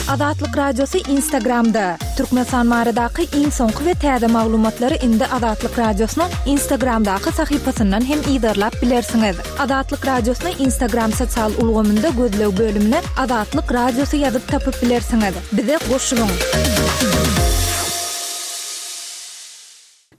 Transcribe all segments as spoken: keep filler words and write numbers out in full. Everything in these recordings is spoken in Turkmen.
Azatlyk Radiosy Instagramda. Türkmenistan baradaky iň soňky we täze maglumatlary indi Azatlyk Radiosynyň Instagramdaky sahypasyndan hem yzarlap bilersiňiz. Azatlyk Radiosyny Instagram sosial ulgamynda gözleg bölümine Azatlyk Radiosy ýazyp tapyp bilersiňiz. Bize goşulyň.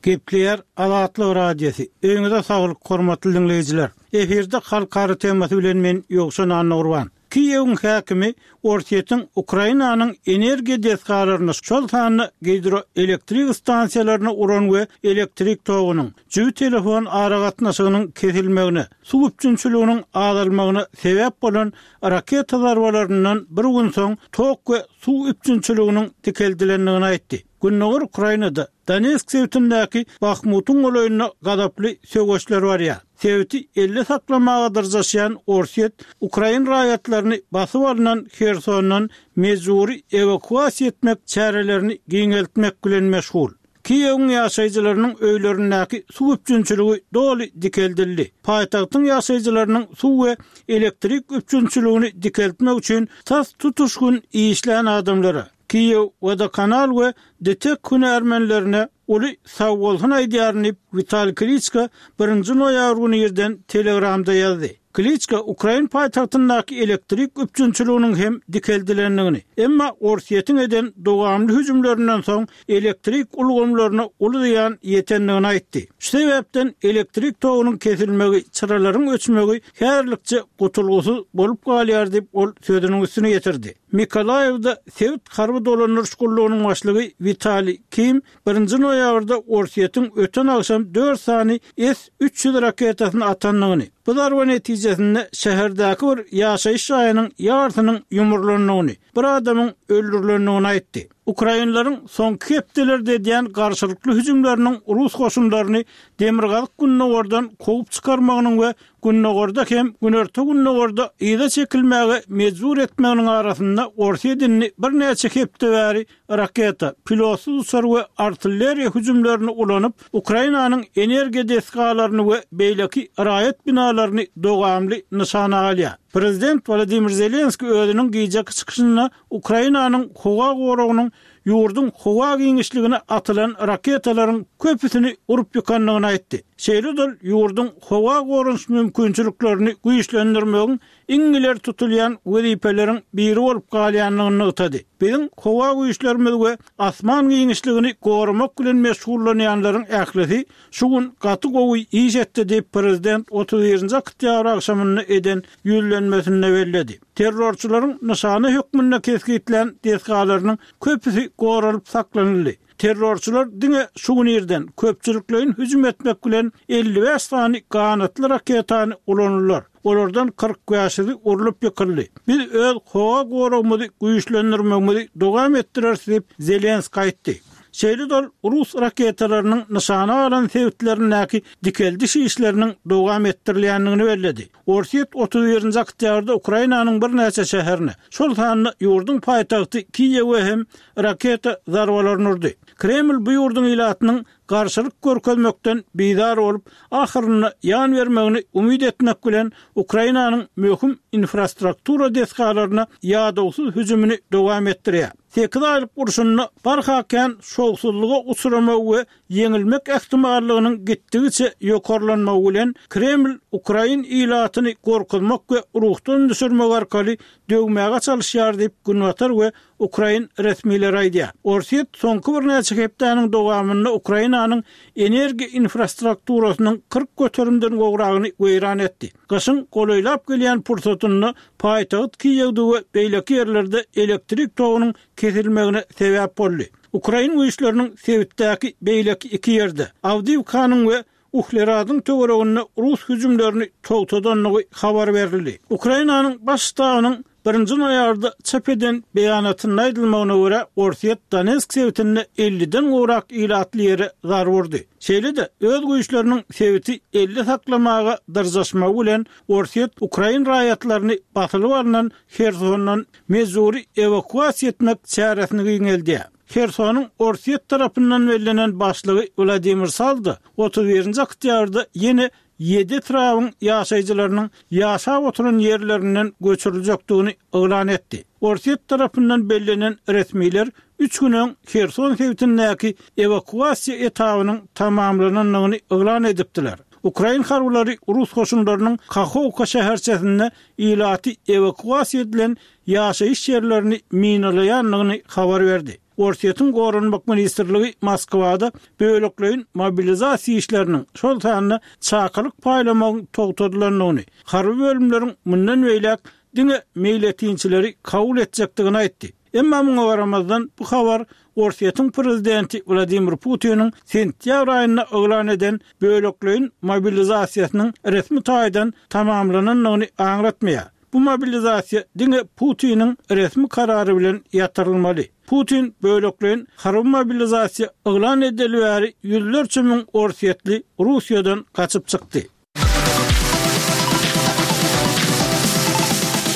Gepleýär Azatlyk Radiosy. Öýüňize saglyk, hormatly diňleýjiler. Efirde halkara temasy bilen men Ýowşan Annagurban. Kiýewiň häkimi Orsýetiň Ukrainanyň energiýa desgalaryny, şol sanda gidroelektrik stansiýalaryny uran we elektrik togunyň, jübi telefon aragatnaşygynyň kesilmegine, suw üpjünçiliginiň azalmagyna sebäp bolan raketa zarbalaryndan bir gün soň tok we suw üpjünçiliginiň dikeldilendigini aýtdy. Gündogar Ukrainada Donetsk sebitindäki Bahmutyň golaýynda gazaply söweşler barýar. Sebiti elde saklamaga dyrjaşýan Orsýet ukrain raýatlaryny basyp alnan Hersondan mejbury ewakuasiýa etmek çärelerini giňeltmek bilen meşgul. Kiýewiň ýaşaýjylarynyň öýlerindäki suw üpjünçiligi doly dikeldildi. Paýtagtyň ýaşaýjylarynyň suw we elektrik üpjünçiligini dikeltmek üçin tas tutuş gün işlän adamlara, Kiýew Wodokanal we DTEK hünärmenlerine uly sagbolsun aýdýaryn diýip, Witaliý Kliçko birinji noýabr güni irden Telegramda ýazdy. Kliçko ukrain paýtagtyndaky elektrik üpjünçiliginiň hem dikeldilendigini, emma Orsýetiň eden dowamly hüjümlerinden soň elektrik ulgamlaryna uly zyýan ýetendigini aýtdy. Şu sebäpden elektrik togunyň kesilmegi, çyralaryň öçmegi häzirlikçe gutulgysyz bolup galýar diýip, ol sözüniň üstüni ýetirdi. Mikolaýewde sebit harby dolandyryş gullugynyň başlygy Witaliý Kim birinji noýabrda Orsýetiň öten agşam dört sany S üç ýüz raketasyny atandygyny, bu zarba netijesinde şäherdäki bir ýaşaýyş jaýynyň ýarsynyň ýumrulandygyny, bir adamyň öldürilendigini aýtdy. Ukrainleriň soňky hepdelerde edýän garşylykly hüjümleriniň rus goşunlaryny demirgazyk-gündogardan kowup çykarmagynyň we gündogarda hem günorta-gündogarda yza çekilmäge mejbur etmeginiň arasynda Orsýet indi birnäçe hepde bäri raketa, pilotsyz uçar we artilleriýa hüjümlerini ulanyp, Ukrainanyň energiýa desgalaryny we beýleki raýat binalaryny dowamly nyşana alýar. Prezident Wladimir Zelenskiý özüniň gijeki çykyşynda Ukrainanyň howa goragynyň ýurduň howa giňişligine atylan raketalaryň köpüsini urup ýykandygyny aýtdy. Şeýle-de ol ýurduň howa goranyş mümkinçiliklerini güýçlendirmegiň iň ileri tutulýan wezipeleriň biri bolup galýandygyny nygtady. Biziň howa güýçlerimiz we asman giňişligini goramak bilen meşgullanýanlaryň ählisi şu gün gaty gowy iş etdi diýip, prezident otuz birinji oktýabr agşamynda eden ýüzlenmesinde belledi. Terrorçylaryň nyşana hökmünde kesgitlän desgalarynyň köpüsi goralyp saklanyldy. Terrorçylar diňe şu gün irden köpçülikleýin hüjüm etmek bilen elli bäş sany ganatly raketany ulandylar. Olardan kyrk bäşisi urlup ýykyldy. Biz öz howa goragymyzy güýçlendirmegimizi dowam etdireris diýip, Zelenskiý aýtdy. Şeýle-de ol rus raketalarynyň nyşana alan sebitlerindäki dikeldiş işleriniň dowam etdirilýändigini belledi. Orsýet otuz birinji oktýabrda Ukrainanyň birnäçe şäherine, şol sanda ýurduň paýtagty Kiýewe hem raketa zarbalaryny urdy. Kreml bu ýurduň ilatynyň garşylyk görkezmekden bizar bolup, ahyrynda ýan bermegini umyt etmek bilen, Ukrainanyň möhüm infrastruktura desgalaryna ýadawsyz hüjümini dowam etdirýär. Sekiz aýlyk urşunda barha kän şowsuzlyga uçramagy we ýeňilmek ähtimallygynyň gitdigiçe ýokarlanmagy bilen, Kreml ukrain ilatyny gorkuzmak we ruhdan düşürmek arkaly döwmäge çalyşýar diýip, günbatar we ukrain resmileri aýdýar. Orsýet soňky birnäçe hepdäniň dowamynda Ukrainanyň energiýa infrastrukturasynyň kyrk göterimden gowragyny weýran etdi. Gyşyň golaýlap gelýän pursatynda paýtagt Kiýewde we beýleki ýerlerde elektrik togunyň kesilmegine sebäp boldy. Ukrain güýçleriniň sebitdäki beýleki iki ýerde, Awdiýewkanyň we Uhleradyň töwereginde rus hüjümlerini togtadandygy habar berildi. Ukrainanyň Baş ştabynyň birinji noýabrda çap eden beýanatynda aýdylmagyna görä, Orsýet Donetsk sebitinde elliden gowrak ilatly ýere zarba urdy. Şeýle-de, öz güýçleriniň sebiti elde saklamaga dyrjaşmagy bilen, Orsýet ukrain raýatlaryny basylyp alnan Hersondan mejbury ewakuasiýa etmek çäresini giňeldýär. Hersonyň Orsýet tarapyndan bellenen başlygy Wladimir Saldo otuz birinji oktýabrda ýene ýedi etrabyň ýaşaýjylarynyň ýaşap oturan ýerlerinden göçüriljekdigini yglan etdi. Orsýet tarapyndan bellenen resmiler üç gün öň Herson sebitindäki ewakuasiýa etabynyň tamamlanandygyny yglan edipdiler. Ukrain harbylary rus goşunlarynyň Kahowka şäherçesinde ilaty ewakuasiýa edilen ýaşaýyş ýerlerini minalaýandygyny habar berdi. Orsýetiň Goranmak ministrligi Moskwada bölekleýin mobilizasiýa işleriniň, şol sanda çakylyk paýlamagyň togtadylandygyny, harby bölümleriň mundan beýläk diňe meýletinçileri kabul etjekdigini aýtdy. Emma muňa garamazdan, bu habar Orsýetiň prezidenti Wladimir Putiniň sentýabr aýynda yglan eden bölekleýin mobilizasiýasynyň resmi taýdan tamamlanandygyny aňlatmaýar. Bu mobilizasiýa diňe Putiniň resmi karary bilen ýatyrylmaly. Putin bölekleýin harby mobilizasiýa yglan edeli bäri ýüzlerçe müň orsýetli Russiýadan gaçyp çykdy.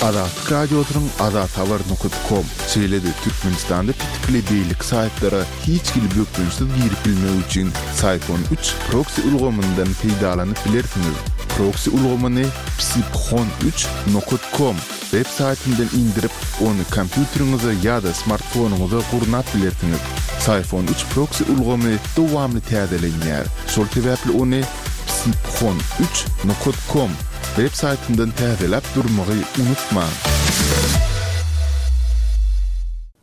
Azatlyk Radiosynyň azathabar nokat kom, şeýle-de Türkmenistanda petikli beýleki saýtlara hiç hili bökdençsiz girip bilmek üçin Syphon üç proksi ulgamyndan peýdalanyp bilersiňiz. Proksi ulgamyny psiphon üç nokat kom web saýtyndan indirip, ony kompýuteriňize ýa-da smartfonyňyza gurnap bilersiňiz. Syphon üç proksi ulgamy dowamly täzelenýär, şol sebäpli ony psiphon üç nokat kom web saýtyndan täzeläp durmagy unutmaň.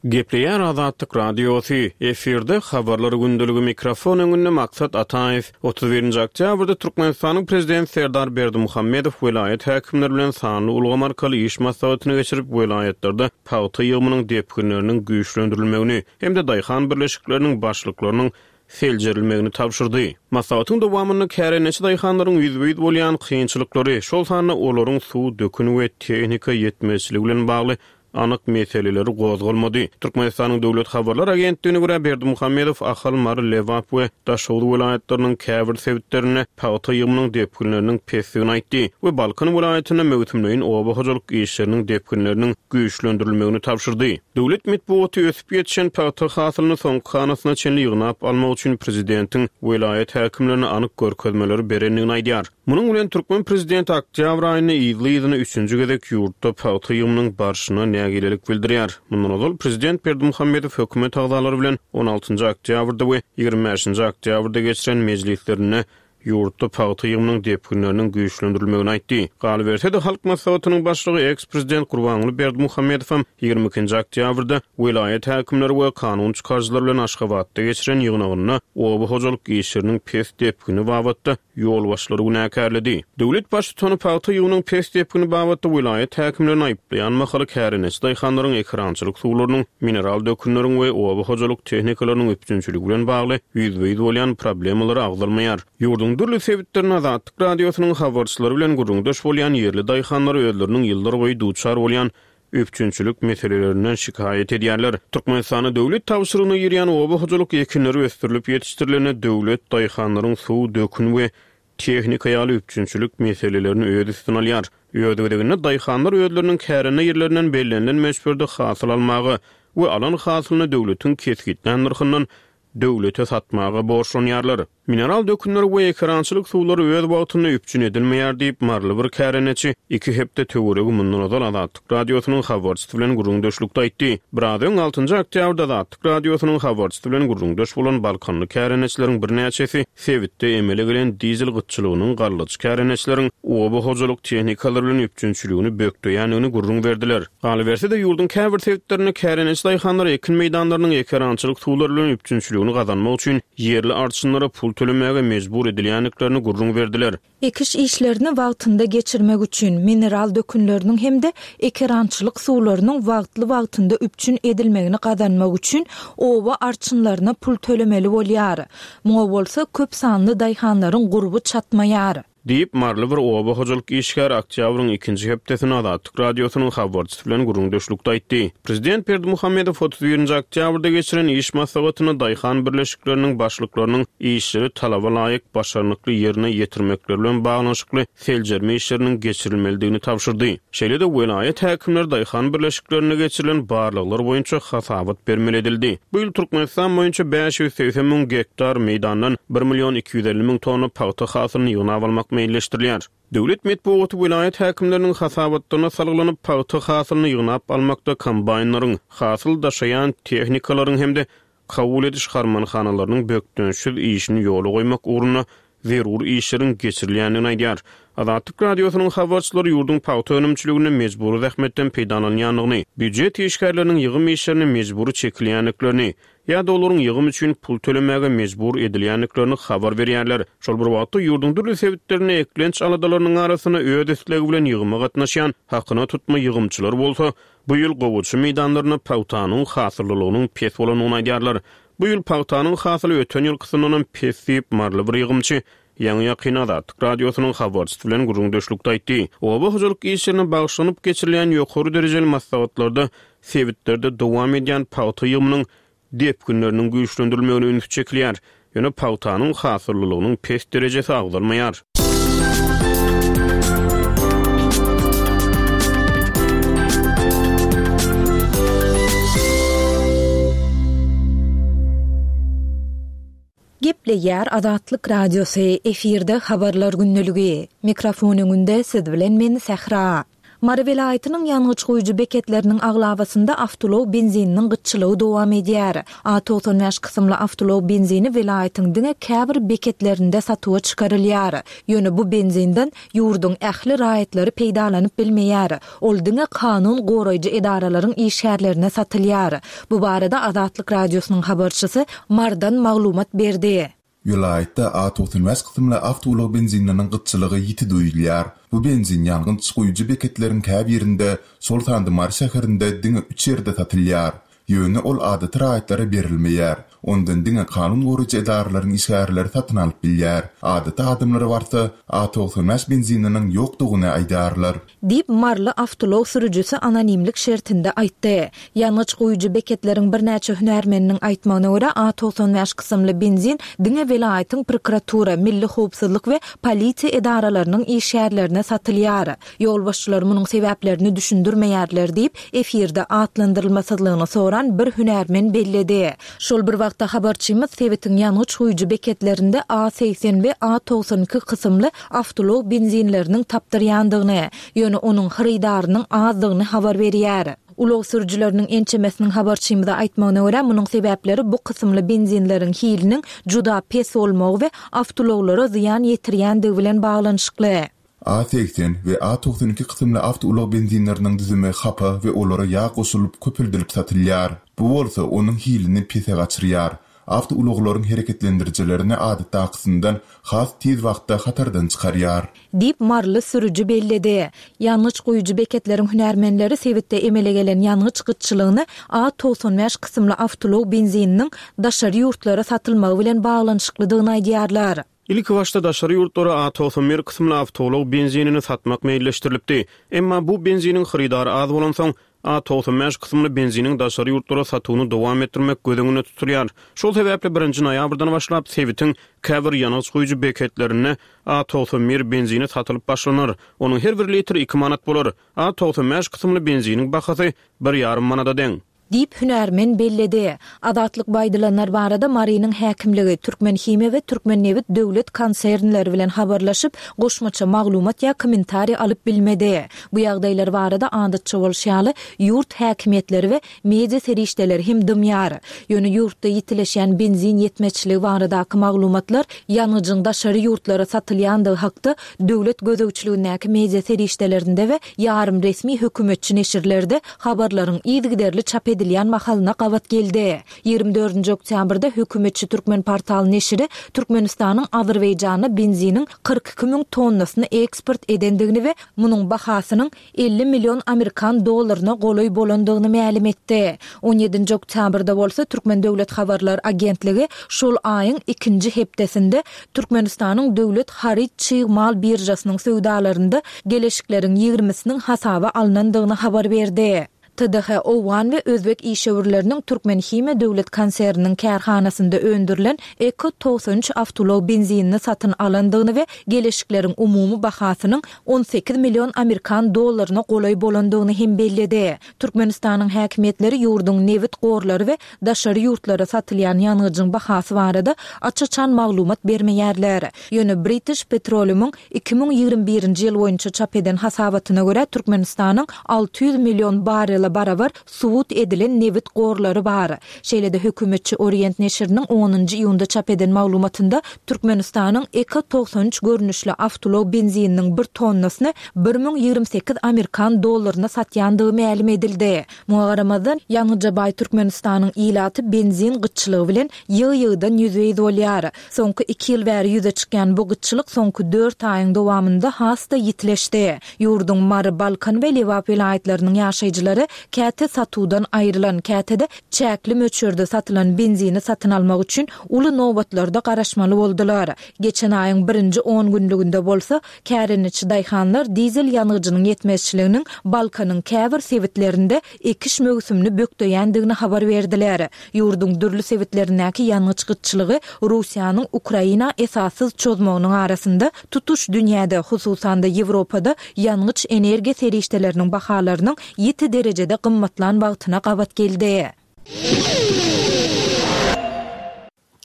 Gepleýär Azatlyk Radiosy, efirde habarlar gündeligi mikrofon öňünde Maksat Ataýew. Otuz birinji oktýabrda Türkmenistanyň Prezidenti Serdar Berdimuhamedow welaýat häkimleri bilen sanly ulgam arkaly iş maslahatyny geçirip, welaýatlarda pagta ýygymynyň depginleriniň güýçlendirilmegini hem-de daýhan birleşikleriniň başlyklarynyň seljerilmegini tabşyrdy. Maslahatyň dowamynda kärendeçi daýhanlaryň ýüzbe-ýüz bolýan kynçylyklary, şol sanda olaryň suw, dökün we tehnika ýetmezçiligi bilen bagly anyk meseleleri gozgalmady. Türkmenistanyň Döwlet habarlar agentligine görä Berdimuhamedow Ahal, Mary, Lebap we Daşoguz welaýatlarynyň käbir sebitlerinde pagta ýygymynyň depginleriniň pesdigini aýtdy we Balkan welaýatynda möwsümleýin oba hojalyk işleriniň depginleriniň güýçlendirilmegini tabşyrdy. Döwlet metbugaty ösüp ýetişen pagta hasylyny soňky hanasyna çenli ýygnap almak üçin prezidentiň welaýat häkimlerine anyk görkezmeleri berendigini aýdýar. Munuň bilen türkmen prezidenti oktýabr aýynda yzly-yzyna üçünji gezek ýurtda pagta ýygymynyň barşyna nägilelik bildirýär. Mundan ozal prezident Berdimuhamedow hökümet agzalary bilen on altynjy oktýabrda we ýigrimi bäşinji oktýabrda geçiren mejlislerinde ýurtda pagta ýygymynyň depginleriniň güýçlendirilmegini aýtdy. Galyberse-de Halk Maslahatynyň başlygy eks-prezident Gurbanguly Berdimuhamedow hem ýigrimi ikinji oktýabrda welaýat häkimleri we kanun çykaryjylar bilen Aşgabatda geçiren ýygnagynda oba hojalyk işleriniň pes depgini babatda ýolbaşçylary günäkärledi. Döwlet baştutany pagta ýygymynyň pes depgini babatda welaýat häkimlerini aýyplaýan mahaly kärendeçi daýhanlaryň ekerançylyk suwlarynyň, mineral dökünleriň we oba hojalyk tehnikalarynyň üpjünçiligi bilen bagly ýüzbe-ýüz bolýan problemalary agzalmaýar. Ýurduň dürli sebitlerinde Azatlyk Radiosynyň habarçylary bilen gürrüňdeş bolýan ýerli daýhanlar özleriniň ýyllar boýy duçar bolýan üpjünçilik meselelerinden şikaýat edýärler. Türkmenistanda döwlet tabşyrygyna girýän oba hojalyk ekinleri ösdürilip ýetişdirilende döwlet daýhanlaryň suw, dökün we tehnika ýaly üpjünçilik meselelerini öz üstüne alýar. Öz gezeginde daýhanlar özleriniň kärende ýerlerinden bellenilen möçberde hasyl almaga we alan hasylyny döwletiň kesgitlän nyrhyndan döwlete satmaga borçlanýarlar. Mineral dökünleri we ekerançylyk suwlary öz wagtynda üpjün edilmeýär diýip, Maryly bir kärendeçi iki hepde töweregi mundan ozal Azatlyk Radiosynyň habarçysy bilen gürrüňdeşlikde aýtdy. Biraz öň altynjy oktýabrda Azatlyk Radiosynyň habarçysy bilen gürrüňdeş bolan Balkanly kärendeçileriň birnäçesi sebitde emele gelen dizel gytçylygynyň gallaçy kärendeçileriň oba hojalyk tehnikalary bilen üpjünçiligini bökdeýändigini gürrüň berdiler. Galyberse-de ýurduň käbir sebitlerinde kärendeçi daýhanlar ekin meýdanlarynyň ekerançylyk suwlary bilen üpjünçiligini gazanmak üçin ýerli arçynlara pul tölemäge mejbur edilýändiklerini gürrüň berdiler. Ekiş işlerini wagtynda geçirmek üçin mineral dökünleriniň hem-de ekerançylyk suwlarynyň wagtly-wagtynda üpjün edilmegini gazanmak üçin oba arçynlaryna pul tölemeli bolýar. Muňa bolsa köp sanly daýhanlaryň gurby çatmaýar. Diýip, Maryly bir oba hojalyk işgäri oktýabryň ikinji hepdesini Azatlyk Radiosynyň habarçysy bilen gürrüňdeşlikde aýtdy. Prezident Berdimuhamedow otuz birinji oktýabrda geçiren iş maslahatyna daýhan birleşikleriniň başlyklarynyň işleri talaba laýyk başarnykly ýerine ýetirmekleri bilen baglanyşykly seljerme işleriniň geçirilmelidigini tabşyrdy. Şeýle-de welaýat häkimleri daýhan birleşiklerinde geçirilen barlaglar boýunça hasabat bermeli edildi. Bu ýyl Türkmenistan boýunça bäş ýüz segsen müň gektar meýdandan bir million iki ýüz elli müň tonna pagta hasylyny ýygnap almak meýilleşdirilýär. Döwlet metbugaty welaýat häkimleriniň hasabatlaryna salgylanyp, pagta hasylyny ýygnap almakda kombaýnlaryň, hasyl daşaýan tehnikalaryň hem-de kabul ediş harmanhanalarynyň bökdençsiz işini ýola goýmak ugrunda zerur işleriň geçirilýändigini aýdýar. Azatlyk Radiosynyň habarçylary ýurduň pagta önümçiliginde mejbury zähmetden peýdalanýandygyny, býujet işgärleriniň ýygym işlerine mejbury çekilýändiklerini, ýa-da olaryň ýygym üçin pul tölemäge mejbur edilýändiklerini habar berýärler. Şol bir wagtda ýurduň dürli sebitlerinde eklenç aladalarynyň arasynda öz islegi bilen ýygyma gatnaşýan hakyna tutma ýygymçylar bolsa, bu ýyl gowaça meýdanlarynda pagtanyň hasyllylygynyň pes bolandygyny aýdýarlar. Bu ýyl pagtanyň hasyly öten ýylkysyndan pes diýip maryly bir ýygymçy Ýaňy ýakyn Azatlyk Radiosynyň habarçysy bilen gürrüňdeşlikde aýtdy. Oba hojalyk işlerine bagyşlanyp geçirilýän ýokary derejeli maslahatlarda sebitlerde dowam edýän pagta ýygymynyň depginleriniň güýçlendirilmegine üns çekilýär. Ýöne pagtanyň hasyllylygynyň pes derejesi agzalmaýar. Gepleýär Azatlyk Radiosy, efirde habarlar gündeligi. Mikrofon öňünde siz bilen men Sähra. Mary welaýatynyň ýangyç guýujy beketleriniň aglabasynda awtoulag benzininiň gytçylygy dowam edýär. A togsan bäş kysymly awtoulag benzini welaýatyň diňe käbir beketlerinde satuwa çykarylýar. Ýöne bu benzinden ýurduň ähli raýatlary peýdalanyp bilmeýär. Ol diňe kanun goraýjy edaralaryň işgärlerine satylýar. Bu barada Azatlyk Radiosynyň habarçysy Mardan maglumat berdi. Welaýatda A togsan bäş kysymly awtoulag benzininiň gytçylygy ýiti duýulýar. Bu benzin ýangyç guýujy beketleriň käbirinde, şol sanda Mary şäherinde diňe üç ýerde satylýar. Ýöne ol adaty raýatlara berilmeýär. Ondan diňe kanun goraýjy edaralaryň işgärleri satyn alyp bilýär. Adaty adamlar barsa A togsan bäş benzininiň ýokdugyny aýdarlar. Diýip maryly awtoulag sürüjisi anonimlik şertinde aýtdy. Ýangyç guýujy beketleriň birnäçe hünärmeniniň aýtmagyna görä A togsan bäş kysymly benzin diňe welaýatyň prokuratura, milli howpsuzlyk we polisiýa edaralarynyň işgärlerine satylýar. Ýolbaşçylar munuň sebäplerini düşündirmeýärler diýip, efirde atlandyrylmasyzlygyny soran bir hünärmen belledi. Şol bir wagtda habarçymyz sebitiň ýangyç guýujy beketlerinde A seksen we A togsan iki kysymly awtoulag benzinleriniň tapdyrýandygyny, ýöne onuň hyrydarynyň azdygyny habar berýär. Ulag sürüjileriniň ençemesiniň habarçymyza aýtmagyna görä, munuň sebäpleri bu kysymly benzinleriň hiliniň juda pes bolmagy we awtoulaglara zyýan ýetirýändigi bilen baglanyşykly. A seksen we A togsan iki kysymly awtoulag benzinleriniň düzümi hapa we olara ýag goşulyp köpeldilip satylýar. Bu bolsa onuň hilini pese gaçyrýar. Awtoulaglaryň hereketlendirijilerini adatdakysyndan has tiz wagtda hatardan çykarýar. Diýip maryly sürüji belledi. Ýangyç guýujy beketleriň hünärmenleri sebitde emele gelen ýangyç gytçylygyny A togsan bäş kysymly awtoulag benzininiň daşary ýurtlara satylmagy bilen baglanyşyklydygyny aýdýarlar. Ilk başda daşary ýurtlara A togsan bir kysymly awtoulag benzinini satmak meýilleşdirilipdi. Emma bu benziniň hyrydary az bolansoň A togsan bäş kysymly benziniň daşary ýurtlara satuwyny dowam etdirmek göz öňünde tutulýar. Şol sebäpli birinji noýabrdan başlap sebitiň käbir ýangyç guýujy beketlerinde A togsan bir benzini satylyp başlanar. Onuň her bir litri iki manat bolar. A togsan bäş kysymly benziniň bahasy bir ýarym manada deň. Diýip hünärmen belledi. Azatlyk baýdylanlar barada Marynyň häkimligi, Türkmen Himiýa we Türkmen Nebit döwlet konsernleri bilen habarlaşyp, goşmaça maglumat ýa kommentariý alyp bilmedi. Bu ýagdaýlar barada adatça bolşy ýaly, ýurt häkimiýetleri we media serişdeleri hem dymýar. Ýöne ýurtda ýitileşýän benzin ýetmezçiligi baradaky maglumatlar ýangyjyň daşary ýurtlara satylýandygy hakda döwlet gözegçiligindäki media serişdelerinde we ýarym resmi hökümetçi neşirlerde habarlaryň yzygiderli çap edilýän mahalyna gabat geldi. Ýigrimi dördünji oktýabrda hökümetçi Türkmen portal neşiri Türkmenistanyň Azerbaýjana benziniň kyrk iki müň tonnasyny eksport edendigini we munuň bahasynyň elli million amerikan dollaryna golaý bolandygyny mälim etdi. On ýedinji oktýabrda bolsa Türkmen Döwlet Habarlar Agentligi şol aýyň ikinji hepdesinde Türkmenistanyň Döwlet haryt çig mal biržasynyň söwdalarynda geleşikleriň ýigrimisiniň hasaba alnandygyny habar berdi. T D H owgan we özbek işewürleriniň Türkmenhimiýa döwlet konserniniň kärhanasynda öndürilen Eko togsan üç awtoulag benzinini satyn alandygyny we geleşikleriň umumy bahasynyň on sekiz million amerikan dollaryna golaý bolandygyny hem belledi. Türkmenistanyň häkimiýetleri ýurduň nebit gorlary we daşary ýurtlara satylýan ýangyjyň bahasy barada aç-açan maglumat bermeýärler. Ýöne British Petroleum-yň iki müň ýigrimi birinji ýyl boýunça çap eden hasabatyna görä, Türkmenistanyň alty ýüz million barrele barabar subut edilen nebit gorlary bar. Şeýle-de hökümetçi Orient neşiriniň onunjy iýunda çap eden maglumatynda Türkmenistanyň Eko togsan üç görnüşli awtoulag benzininiň bir tonnasyny bir müň ýigrimi sekiz amerikan dollaryna satýandygy mälim edildi. Muňa garamazdan, ýangyja baý Türkmenistanyň ilaty benzin gytçylygy bilen ýygy-ýygydan ýüzbe-ýüz bolýar. Soňky iki ýyl bäri ýüze çykýan bu gytçylyk soňky dört aýyň dowamynda has-da ýitileşdi. Ýurduň Mary, Balkan we Lebap welaýatlarynyň ýaşaýjylary käte satuwdan aýrylan, käte-de çäkli möçberde satylan benzini satyn almak üçin uly nobatlarda garaşmaly boldular. Geçen aýyň birinji on günlüginde bolsa, kärendeçi daýhanlar dizel ýangyjynyň ýetmezçiliginiň Balkanyň käbir sebitlerinde ekiş möwsümini bökdeýändigini habar berdiler. Ýurduň dürli sebitlerindäki ýangyç gytçylygy Russiýanyň Ukraina esassyz çozmagynyň arasynda tutuş dünýäde, hususan-da Ýewropada ýangyç-energiýa serişdeleriniň bahalarynyň ýiti derejede gymmatlan wagtyna gabat geldi.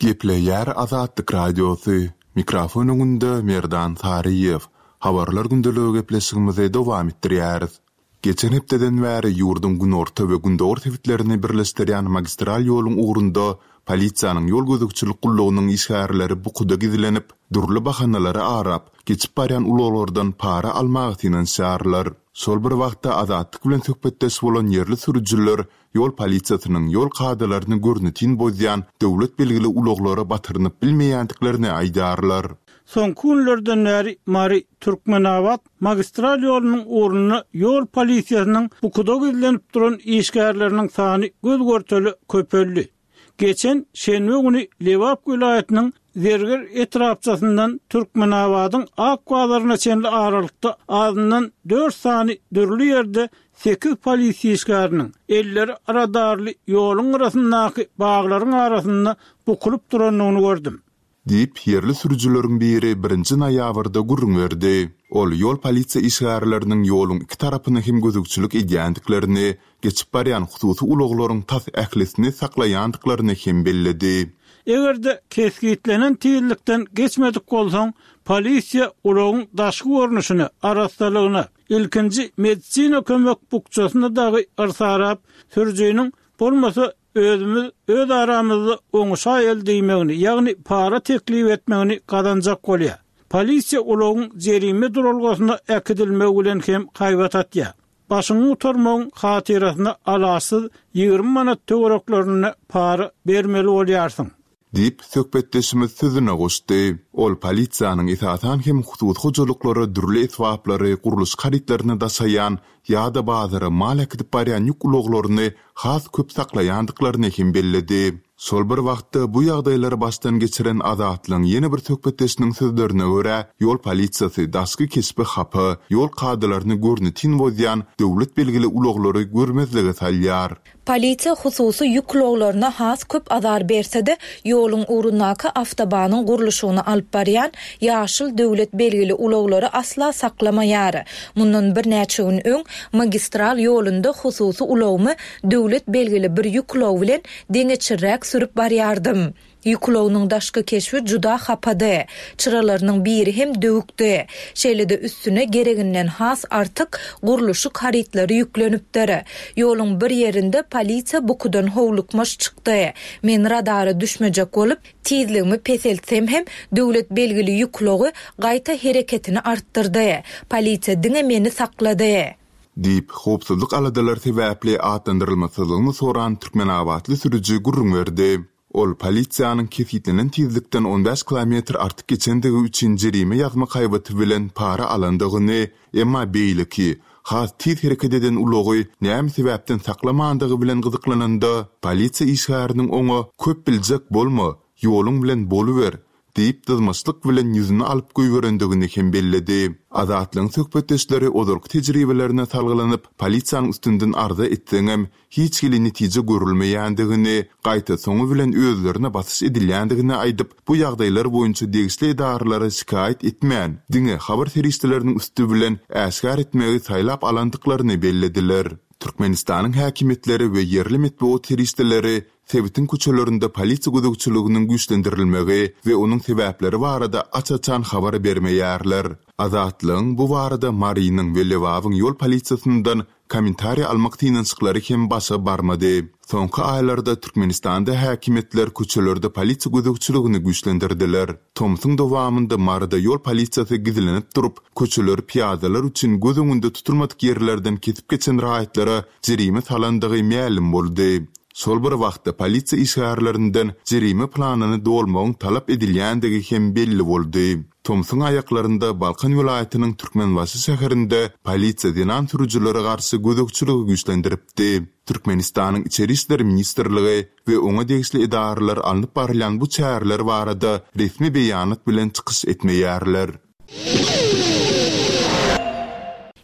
Gepleýär Azatlyk Radiosy, mikrofon öňünde Merdan Saryýew. Habarlar gündeligi gepleşigimizi dowam etdirýäris. Geçen hepdeden bäri ýurduň günorta we gündogar sebitlerini birleşdirýän magistral ýoluň ugrunda polisiýanyň ýol gözegçilik gullugynyň işgärleri bukuda gizlenip, dürli bahanalary arap, geçip barýan ulaglardan para almaga synanyşýarlar. Şol bir wagtda Azatlyk bilen söhbetdeş bolan ýerli sürüjiler ýol polisiýasynyň ýol kadalaryny görnetin bozýan döwlet belgili ulaglara batyrynyp bilmeýändiklerini aýdýarlar. Soňky günlerden bäri Mary Türkmenabat magistral ýolunyň ugrunda ýol polisiýasynyň bukuda gizlenip duran işgärleriniň sany göz görteli köpeldi. Geçen şenbe güni Lebap welaýatynyň Zerger etrapçasyndan Türkmenabadyň Ak bazaryna çenli aralykda azyndan dört sany dürli ýerde sekiz polisiýa işgäriniň elleri radarly ýoluň gyrasyndaky baglaryň arasynda bukulyp durandygyny gördüm. Diýip, ýerli sürüjileriň biri birinji noýabrda gürrüň berdi. Ol ýol polisiýa işgärleriniň ýoluň iki tarapyna hem gözegçilik edýändiklerini, geçip barýan hususy ulaglaryň tas ählisini saklaýandyklaryny hem belledi. Eger-de kesgitlenen tizlikden geçmedik bolsaň, polisiýa ulagyň daşky görnüşine, arassalygyna, ilkinji medisina kömek bukjasyna dagy yrsarap, sürüjiniň bolmasa özümiz öz aramyzda oňuşaýaly diýmegini, ýagny para teklip etmegini gazanjak bolýar. Polisiýa ulagyň jerime duralgasyna äkidilmegi bilen hem haýbat atýar. Başyňy gutarmagyň hatyrasyna alaçsyz ýigrimi manat töwereklerinde para bermeli bolýarsyň. Diýip, söhbetdeşimiz sözüne goşdy. Ol polisiýanyň esasan hem hususy hojalyklara dürli esbaplary, gurluşyk harytlaryny daşaýan ýa-da bazara mal äkidip barýan ýük ulaglaryny has köp saklaýandyklaryny hem belledi. Şol bir wagtda bu ýagdaýlary başdan geçiren Azatlygyň ýene bir söhbetdeşiniň sözlerine görä, ýol polisiýasy daşky keşbi hapa, ýol kadalaryny görnetin bozýan döwlet belgili ulaglary görmezlige salýar. Polisiýa hususy ýük ulaglaryna has köp azar berse-de, ýoluň ugrundaky awtobanyň gurluşygyny alyp barýan ýaşyl döwlet belgili ulaglary asla saklamaýar. Mundan birnäçe gün öň magistral ýolunda hususy ulagymy döwlet belgili bir ýük ulagy bilen deňeçirräk sürüp barýardym. Ýük ulagynyň daşky keşbi juda hapady. Çyralarynyň biri hem döwükdi. Şeýle-de üstüne gereginden has artyk gurluşyk harytlary ýüklenipdir. Ýoluň bir ýerinde polisiýa bukudan howlukmaç çykdy. Men radara düşmejek bolup, tizligimi peseltsem hem döwlet belgili ýük ulagy gaýta hereketini artdyrdy. Polisiýa diňe meni saklady. Diýip, howpsuzlyk aladalary sebäpli atlandyrylmasyzlygyny soran türkmenabatly sürüji gürrüň berdi. Ol polisiýanyň kesgitlenen tizlikden on bäş kilometr artyk geçendigi üçin jerime ýazmak haýbaty bilen para alandygyny, emma beýleki, has tiz hereket eden ulagy näme sebäpden saklamandygy bilen gyzyklananda, polisiýa işgäriniň oňa köp biljek bolma, ýoluň bilen boluber diýip dyzmaçlyk bilen ýüzüni alyp goýberendigini hem belledi. Azatlygyň söhbetdeşleri ozalky tejribelerine salgylanyp, polisiýanyň üstünden arza etseňem, hiç hili netije görülmeýändigini, gaýta soňy bilen özlerine basyş edilýändigini aýdyp, bu ýagdaýlar boýunça degişli edaralara şikaýat etmän, diňe habar serişdeleriniň üsti bilen äşgär etmegi saýlap alandyklaryny bellediler. Türkmenistanyň häkimiýetleri we ýerli metbugat serişdeleri sebitiň köçelerinde polisiýa gözegçiliginiň güýçlendirilmegi we onuň sebäpleri barada aç-açan habar bermeýärler. Azatlygyň bu barada Marynyň we Lebabyň ýol polisiýasyndan kommentariý almak synanyşyklary hem başa barmady. Soňky aýlarda Türkmenistanda häkimiýetler köçelerde polisiýa gözegçiligini güýçlendirdiler. Tomsuň dowamynda Maryda ýol polisiýasy gizlenip durup, köçeleri pyýadalar üçin göz öňünde tutulmadyk ýerlerden kesip geçen raýatlara jerime salandygy mälim boldy. Şol bir wagtda polisiýa işgärlerinden jerime planyny dolmagyň talap edilýändigi hem belli boldy. Tomsuň aýaklarynda Balkan welaýatynyň Türkmenbaşy şäherinde polisiýa zenan sürüjilere garşy gözegçiligi güýçlendiripdi. Türkmenistanyň Içeri işler ministrligi we oňa degişli edaralar alnyp barylýan bu çäreler barada resmi beýanat bilen çykyş etmeýärler.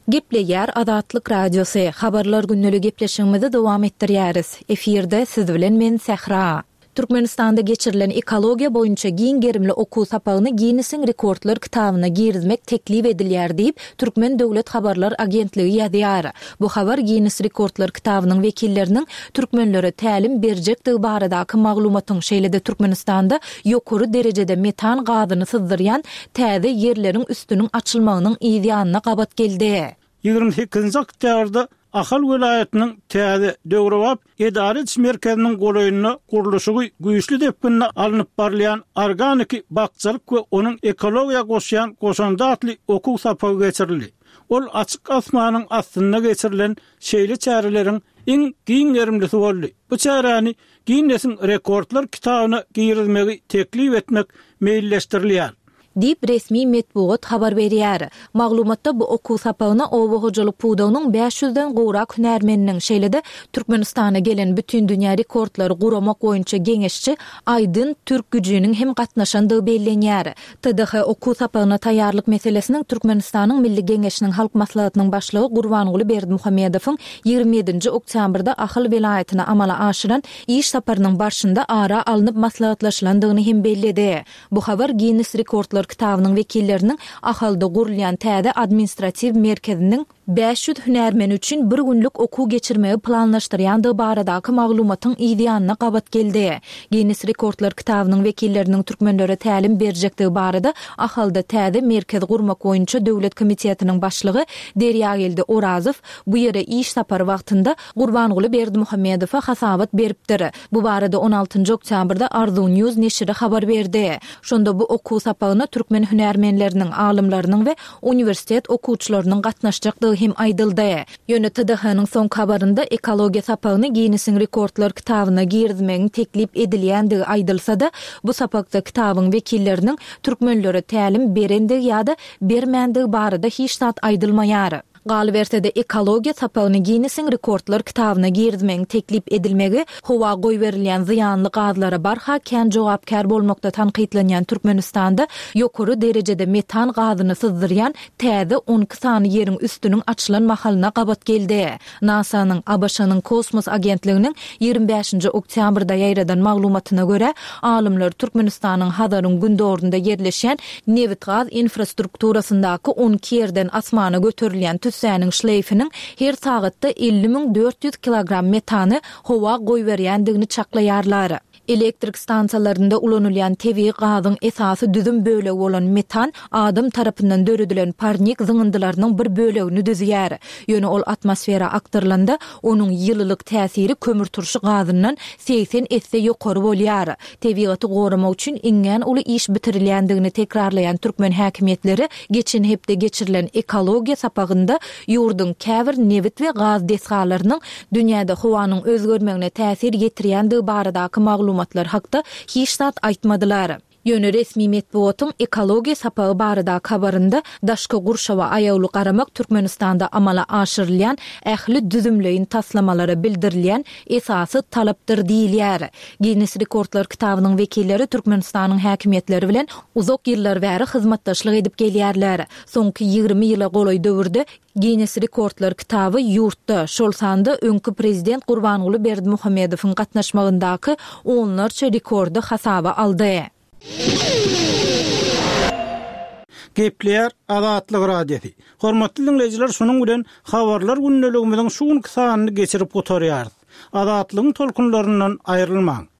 Gepleýär Azatlyk Radiosy. Habarlar gündelik gepleşigimizi dowam etdirýäris. Efirde siz bilen men Sähra. Türkmenistanda geçirilen ekologiýa boýunça giň gerimli okuw sapagyny Ginnesiň rekordlar kitabyna girizmek teklip edilýär diýip, Türkmen döwlet habarlar agentligi ýazýar. Bu habar Ginnes rekordlar kitabynyň wekilleriniň türkmenlere tälim berjekdigi baradaky maglumatyň, şeýle-de Türkmenistanda ýokary derejede metan gazyny syzdyrýan täze ýerleriň üstüniň açylmagynyň yz ýanyna gabat geldi. Ýigrimi sekizinji oktýabrda Ahal welaýatynyň täze döwrebap edara ediş merkeziniň golaýynda gurluşygy güýçli depginde alnyp barylýan Organiki bakjalyk we onuň ekologiýa goşýan goşandy atly okuw sapagy geçirildi. Ol açyk asmanyň astynda geçirilen şeýle çäreleriň iň giň gerimlisi boldy. Bu çäräni Ginnesiň rekordlar kitabyna girizmegi teklip etmek meýilleşdirilýär. Diýip, resmi metbugat habar berýär. Maglumatda bu okuw sapagyna oba hojalyk pudagynyň bäş ýüzden gowrak hünärmeniniň, şeýle-de Türkmenistana gelen Bütindünýä rekordlary guramak boýunça geňeşçi Aýdyn Türkgüjiniň hem gatnaşandygy bellenýär. T D H okuw sapagyna taýýarlyk meselesiniň Türkmenistanyň Milli Geňeşiniň Halk Maslahatynyň Başlygy Gurbanguly Berdimuhamedowyň ýigrimi ýedinji oktýabrda Ahal welaýatyna amala aşyran iş saparynyň barşynda ara alnyp maslahatlaşylandygyny hem belledi. Bu habar Ginnes rekordlar kitabynyň wekilleriniň Ahalda gurulýan täze administratiw merkeziniň bäş ýüz hünärmeni üçin bir günlük okuw geçirmegi planlaşdyrýandygy baradaky maglumatyň yz ýanyna gabat geldi. Ginnes rekordlar kitabynyň wekilleriniň türkmenlere tälim berjekdigi barada Ahalda täze merkez gurmak boýunça döwlet komitetiniň başlygy Derýageldi Orazow bu ýere iş sapary wagtynda Gurbanguly Berdimuhamedowa hasabat beripdir. Bu barada on altynjy oktýabrda Arzuw News neşiri habar berdi. Şonda bu okuw sapagyna türkmen hünärmenleriniň, alymlarynyň we uniwersitet okuwçylarynyň gatnaşjakdygy hem aýdyldy. Ýöne T D H-nyň soňky habarynda ekologiýa sapagyny Ginnesiň rekordlar kitabyna girizmegiň teklip edilýändigi aýdylsa-da, bu sapakda kitabyň wekilleriniň türkmenlere tälim berendigi ýa-da bermändigi barada hiç zat aýdylmaýar. Galyberse-de, ekologiýa sapagyny Ginnesiň rekordlar kitabyna girizmegiň teklip edilmegi howa goýberilýän zyýanly gazlara barha kän jogapkär bolmakda tankytlanýan Türkmenistanda ýokary derejede metan gazyny syzdyrýan täze on iki sany ýeriň üstüniň açylan mahalyna gabat geldi. NASA-nyň, A B Ş-nyň kosmos agentliginiň ýigrimi bäşinji oktýabrda ýaýradan maglumatyna görä, alymlar Türkmenistanyň Hazaryň gündogarynda ýerleşýän nebit-gaz infrastrukturasyndaky on iki ýerden asmana göterilýän tüssäniň şleýfiniň her sagatda elli müň dört ýüz kilogram metany howa goýberýändigini çaklaýarlar. Elektrik stansiýalarynda ulanylýan tebigy gazyň esasy düzüm bölegi bolan metan adam tarapyndan döredilen parnik zyňyndylarynyň bir bölegini düzýär. Ýöne ol atmosfera akdyrylanda, onuň ýylylyk täsiri kömürturşy gazyndan segsen esse ýokary bolýar. Tebigaty goramak üçin iňňän uly iş bitirilýändigini tekrarlaýan türkmen häkimiýetleri geçen hepde geçirilen ekologiýa sapagynda ýurduň käbir nebit we gaz desgalarynyň dünýäde howanyň özgermegine täsir ýetirýändigi baradaky maglumatlar hakda hiç zat aýtmadylar. Ýöne resmi metbugatyň ekologiýa sapagy baradaky habarynda daşky gurşawa aýawly garamak Türkmenistanda amala aşyrylýan ähli düzümleýin taslamalara bildirilýän esasy talapdyr diýilýär. Ginnes rekordlar kitabynyň wekilleri Türkmenistanyň häkimiýetleri bilen uzak ýyllar bäri hyzmatdaşlyk edip gelýärler. Soňky ýigrimi ýyla golaý döwürde Ginnes rekordlar kitaby ýurtda, şol sanda öňki prezident Gurbanguly Berdimuhamedowyň gatnaşmagyndaky onlarça rekordy hasaba aldy. Gepleýär Azatlyk Radiosy. Hormatly diňleýjiler, şunuň bilen Habarlar gündeligimiziň şu günki sanyny geçirip gutarýarys. Azatlygyň tolkunlaryndan aýrylmaň.